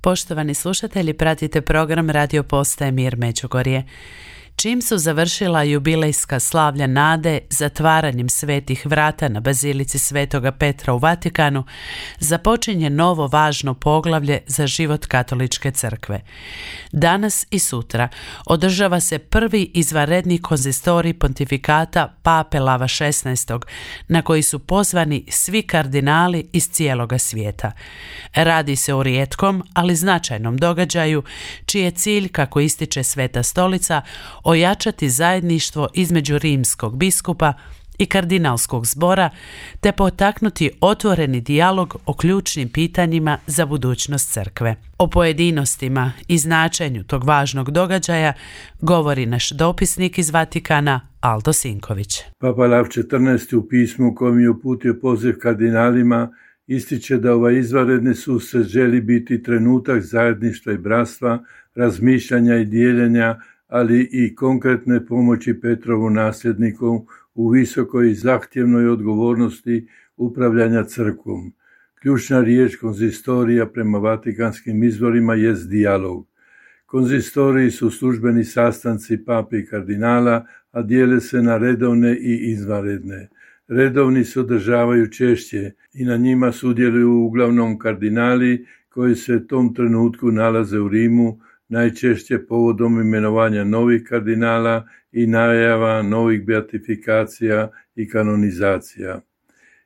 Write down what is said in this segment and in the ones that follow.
Poštovani slušatelji, pratite program Radio Postaje Mir Međugorje. Čim su završila jubilejska slavlja nade zatvaranjem svetih vrata na bazilici Svetoga Petra u Vatikanu, započinje novo važno poglavlje za život Katoličke crkve. Danas i sutra održava se prvi izvanredni konzistorij pontifikata Pape Lava XVI, na koji su pozvani svi kardinali iz cijeloga svijeta. Radi se o rijetkom, ali značajnom događaju, čiji je cilj, kako ističe Sveta Stolica, ojačati zajedništvo između rimskog biskupa i kardinalskog zbora, te potaknuti otvoreni dijalog o ključnim pitanjima za budućnost crkve. O pojedinostima i značenju tog važnog događaja govori naš dopisnik iz Vatikana, Aldo Sinković. Papa Lav XIV u pismu kojem je uputio poziv kardinalima ističe da ovaj izvanredni susret želi biti trenutak zajedništva i bratstva, razmišljanja i dijeljenja, ali i konkretne pomoći Petrovu nasljedniku u visokoj i zahtjevnoj odgovornosti upravljanja crkvom. Ključna riječ konzistorija prema vatikanskim izvorima jest dijalog. Konzistoriji su službeni sastanci pape i kardinala, a dijele se na redovne i izvanredne. Redovni se održavaju češće i na njima sudjeluju uglavnom kardinali koji se u tom trenutku nalaze u Rimu, najčešće povodom imenovanja novih kardinala i najava novih beatifikacija i kanonizacija.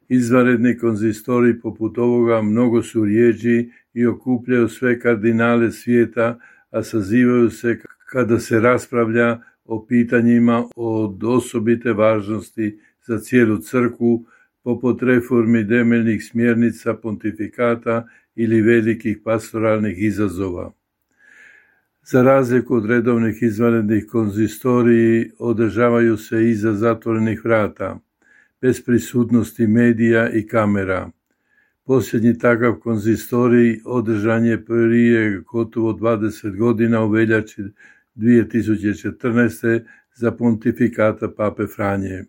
Izvanredni konzistoriji poput ovoga mnogo su rjeđi i okupljaju sve kardinale svijeta, a sazivaju se kada se raspravlja o pitanjima od osobite važnosti za cijelu crkvu, poput reformi temeljnih smjernica pontifikata ili velikih pastoralnih izazova. Za razliku od redovnih izvanrednih konzistoriji održavaju se iza zatvorenih vrata, bez prisutnosti medija i kamera. Posljednji takav konzistorij održan je prije gotovo 20 godina u veljači 2014. za pontifikata Pape Franje.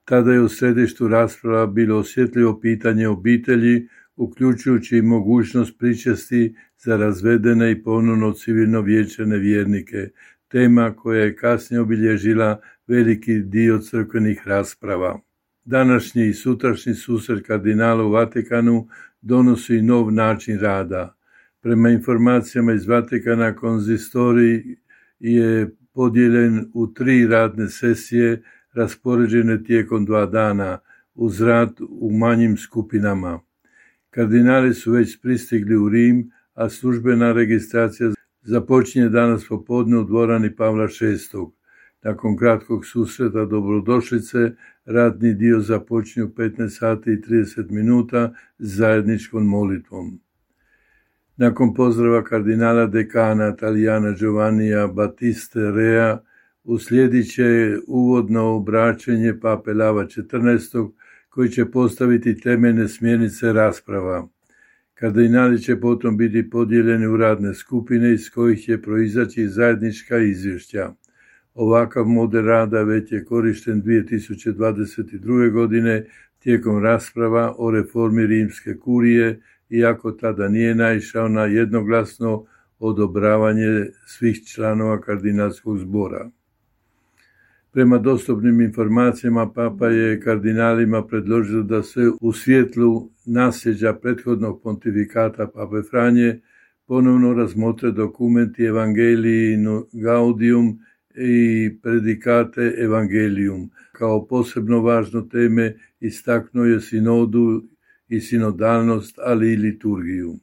Tada je u središtu rasprava bilo osjetljivo pitanje obitelji, uključujući i mogućnost pričesti za razvedene i ponovno civilno vjenčane vjernike, tema koja je kasnije obilježila veliki dio crkvenih rasprava. Današnji i sutrašnji susret kardinala u Vatikanu donosi nov način rada. Prema informacijama iz Vatikana, konzistorij je podijeljen u 3 radne sesije raspoređene tijekom 2 dana uz rad u manjim skupinama. Kardinali su već pristigli u Rim, a službena registracija započinje danas popodne u dvorani Pavla VI. Nakon kratkog susreta dobrodošlice, radni dio započinje u 15 sati i 30 minuta zajedničkom molitvom. Nakon pozdrava kardinala dekana Talijana Giovannija Battiste Rea, uslijedit će uvodno obraćanje Pape Lava XIV, koji će postaviti temeljne smjernice rasprava. Kardinali će potom biti podijeljeni u radne skupine iz kojih će proizaći zajednička izvješća. Ovakav model rada već je korišten 2022. godine tijekom rasprava o reformi rimske kurije, iako tada nije naišao na jednoglasno odobravanje svih članova kardinalskog zbora. Prema dostupnim informacijama, Papa je kardinalima predložio da se u svjetlu nasljeđa prethodnog pontifikata Pape Franje ponovno razmotre dokumenti Evangelii Gaudium i Predicate Evangelium. Kao posebno važno teme istaknuo je sinodu i sinodalnost, ali i liturgiju.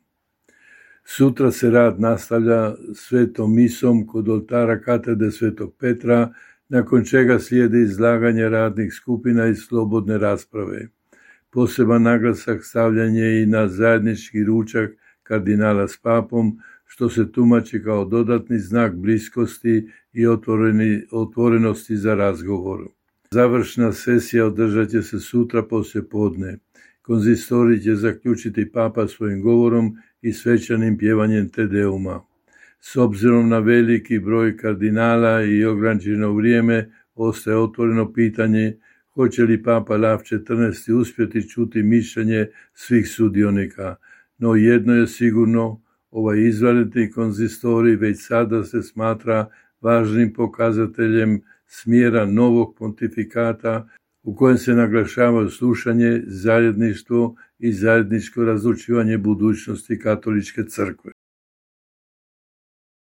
Sutra se rad nastavlja svetom misom kod oltara katedre Svetog Petra, nakon čega slijede izlaganje radnih skupina i slobodne rasprave. Poseban naglasak stavljan je i na zajednički ručak kardinala s papom, što se tumači kao dodatni znak bliskosti i otvorenosti za razgovor. Završna sesija održat će se sutra poslijepodne. Konzistorij će zaključiti Papa svojim govorom i svečanim pjevanjem Te Deuma. S obzirom na veliki broj kardinala i ograničeno vrijeme, ostaje otvoreno pitanje hoće li Papa Lav XIV uspjeti čuti mišljenje svih sudionika. No jedno je sigurno, Ovaj izvanredni konzistorij već sada se smatra važnim pokazateljem smjera novog pontifikata u kojem se naglašava slušanje, zajedništvo i zajedničko razlučivanje budućnosti katoličke crkve.